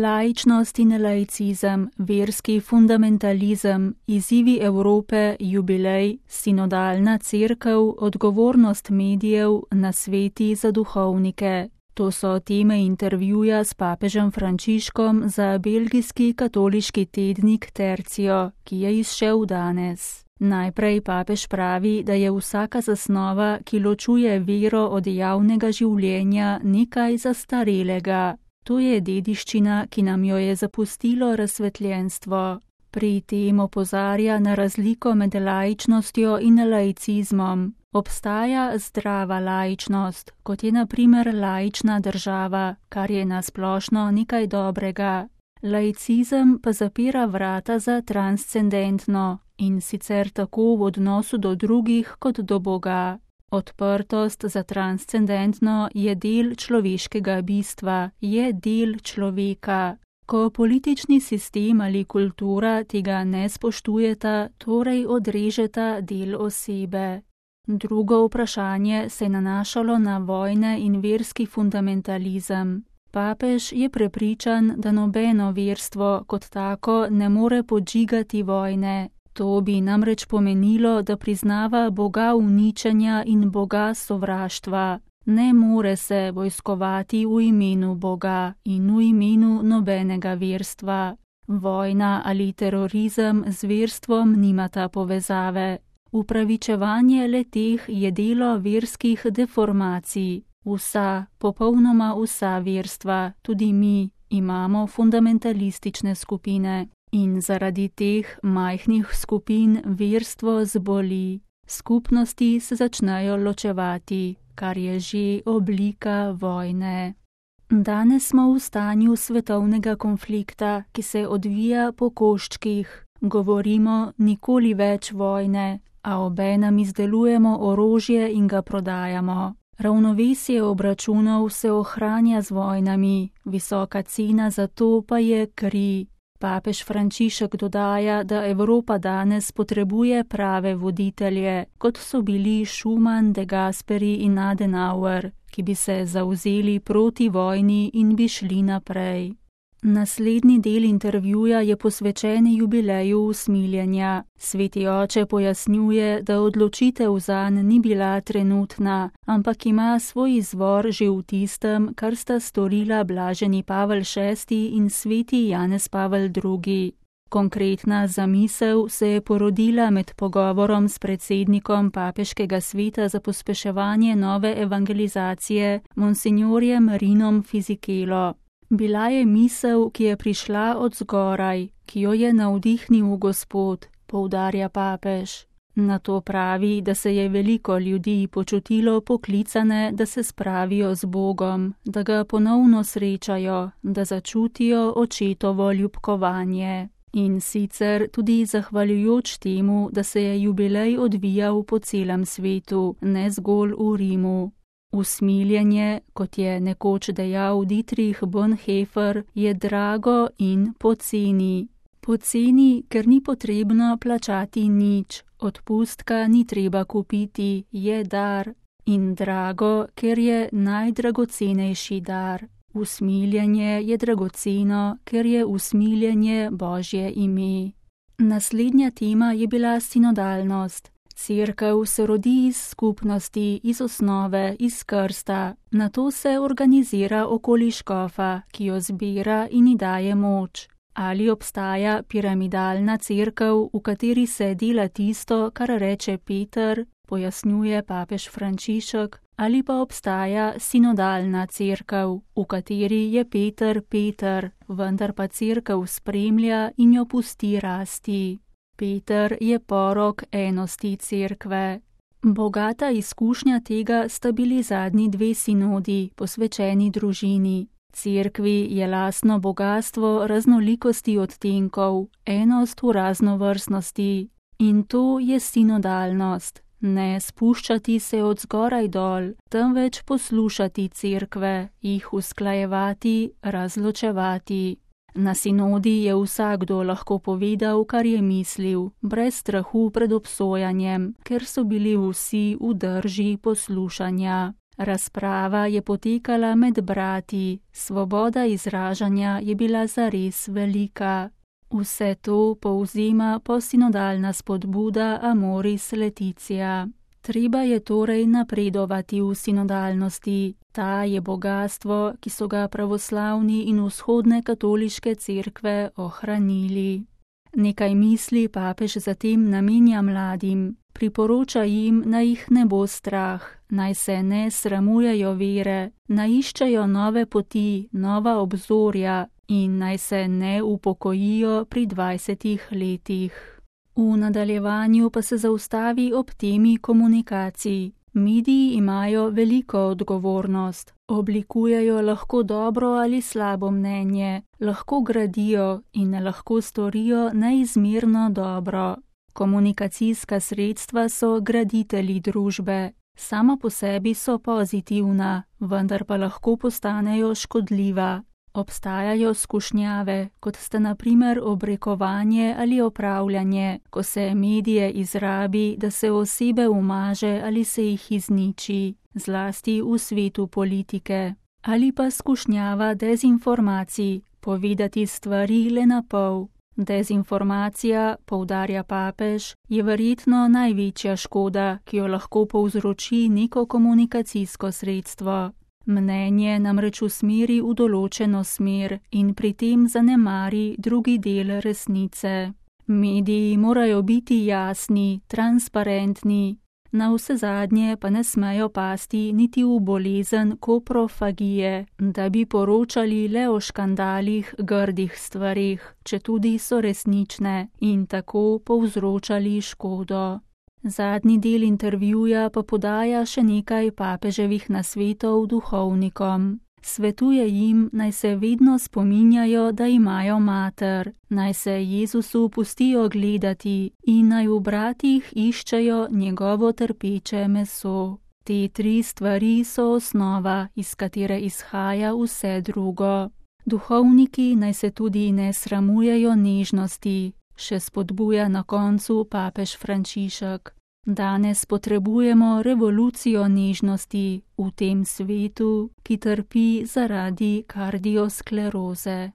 Laičnost in laicizem, verski fundamentalizem, izzivi Evrope, jubilej, sinodalna cerkev, odgovornost medijev, nasveti za duhovnike. To so teme intervjuja s papežem Frančiškom za belgijski katoliški tednik Tercio, ki je izšel danes. Najprej papež pravi, da je vsaka zasnova, ki ločuje vero od javnega življenja, nekaj zastarelega. To je dediščina, ki nam jo je zapustilo razsvetljenstvo. Pri tem opozarja na razliko med laičnostjo in laicizmom. Obstaja zdrava laičnost, kot je na primer laična država, kar je na splošno nekaj dobrega. Laicizem pa zapira vrata za transcendentno, in sicer tako v odnosu do drugih kot do Boga. Odprtost za transcendentno je del človeškega bistva, je del človeka. Ko politični sistem ali kultura tega ne spoštujeta, torej odrežeta del osebe. Drugo vprašanje se je nanašalo na vojne in verski fundamentalizem. Papež je prepričan, da nobeno verstvo kot tako ne more podžigati vojne. To bi namreč pomenilo, da priznava Boga uničenja in Boga sovraštva. Ne more se vojskovati v imenu Boga in v imenu nobenega verstva. Vojna ali terorizem z verstvom nimata povezave. Upravičevanje le-teh je delo verskih deformacij. Vsa, popolnoma vsa verstva, tudi mi, imamo fundamentalistične skupine. In zaradi teh majhnih skupin verstvo zboli. Skupnosti se začnejo ločevati, kar je že oblika vojne. Danes smo v stanju svetovnega konflikta, ki se odvija po koščkih. Govorimo nikoli več vojne, a obenem izdelujemo orožje in ga prodajamo. Ravnovesje obračunov se ohranja z vojnami, visoka cena za to pa je kri. Papež Frančišek dodaja, da Evropa danes potrebuje prave voditelje, kot so bili Schuman, De Gasperi in Adenauer, ki bi se zavzeli proti vojni in bi šli naprej. Naslednji del intervjuja je posvečen jubileju usmiljenja. Sveti oče pojasnjuje, da odločitev zanj ni bila trenutna, ampak ima svoj izvor že v tistem, kar sta storila blaženi Pavel VI in sveti Janez Pavel II. Konkretna zamisel se je porodila med pogovorom s predsednikom Papeškega sveta za pospeševanje nove evangelizacije, monsignorjem Rinom Fisichelo. Bila je misel, ki je prišla od zgoraj, ki jo je navdihnil Gospod, poudarja papež. Nato pravi, da se je veliko ljudi počutilo poklicane, da se spravijo z Bogom, da ga ponovno srečajo, da začutijo očetovo ljubkovanje. In sicer tudi zahvaljujoč temu, da se je jubilej odvijal po celem svetu, ne zgolj v Rimu. Usmiljenje, kot je nekoč dejal Dietrich Bonhoeffer, je drago in poceni. Poceni, ker ni potrebno plačati nič, odpustka ni treba kupiti, je dar. In drago, ker je najdragocenejši dar. Usmiljenje je dragoceno, ker je usmiljenje Božje ime. Naslednja tema je bila sinodalnost. Cerkev se rodi iz skupnosti, iz osnove, iz krsta. Nato se organizira okoli škofa, ki jo zbira in ji daje moč. Ali obstaja piramidalna cerkev, v kateri se dela tisto, kar reče Peter, pojasnjuje papež Frančišek, ali pa obstaja sinodalna cerkev, v kateri je Peter, vendar pa cerkev spremlja in jo pusti rasti. Peter je porok enosti cerkve. Bogata izkušnja tega sta bili zadnji dve sinodi, posvečeni družini. Cerkvi je lastno bogastvo raznolikosti odtenkov, enost v raznovrstnosti. In to je sinodalnost. Ne spuščati se od zgoraj dol, temveč poslušati cerkve, jih usklajevati, razločevati. Na sinodi je vsakdo lahko povedal, kar je mislil, brez strahu pred obsojanjem, ker so bili vsi v drži poslušanja. Razprava je potekala med brati, svoboda izražanja je bila zares velika. Vse to povzema postsinodalna spodbuda Amoris Laetitia. Treba je torej napredovati v sinodalnosti. Ta je bogastvo, ki so ga pravoslavni in vzhodne katoliške cerkve ohranili. Nekaj misli papež zatem namenja mladim. Priporoča jim, naj jih ne bo strah, naj se ne sramujejo vere, naj iščejo nove poti, nova obzorja in naj se ne upokojijo pri 20 letih. V nadaljevanju pa se zaustavi ob temi komunikacij. Mediji imajo veliko odgovornost. Oblikujejo lahko dobro ali slabo mnenje, lahko gradijo in lahko storijo neizmerno dobro. Komunikacijska sredstva so graditelji družbe. Sama po sebi so pozitivna, vendar pa lahko postanejo škodljiva. Obstajajo skušnjave, kot sta na primer obrekovanje ali opravljanje, ko se medije izrabi, da se osebe umaže ali se jih izniči, zlasti v svetu politike. Ali pa skušnjava dezinformacij, povedati stvari le na pol. Dezinformacija, poudarja papež, je verjetno največja škoda, ki jo lahko povzroči neko komunikacijsko sredstvo. Mnenje namreč usmeri v določeno smer in pri tem zanemari drugi del resnice. Mediji morajo biti jasni, transparentni, navsezadnje pa ne smejo pasti niti v bolezen koprofagije, da bi poročali le o škandalih, grdih stvarih, četudi so resnične, in tako povzročali škodo. Zadnji del intervjuja pa podaja še nekaj papeževih nasvetov duhovnikom. Svetuje jim, naj se vedno spominjajo, da imajo mater, naj se Jezusu pustijo gledati in naj v bratih iščejo njegovo trpeče meso. Te 3 stvari so osnova, iz katere izhaja vse drugo. Duhovniki naj se tudi ne sramujejo nežnosti, še spodbuja na koncu papež Frančišek. Danes potrebujemo revolucijo nežnosti v tem svetu, ki trpi zaradi kardioskleroze.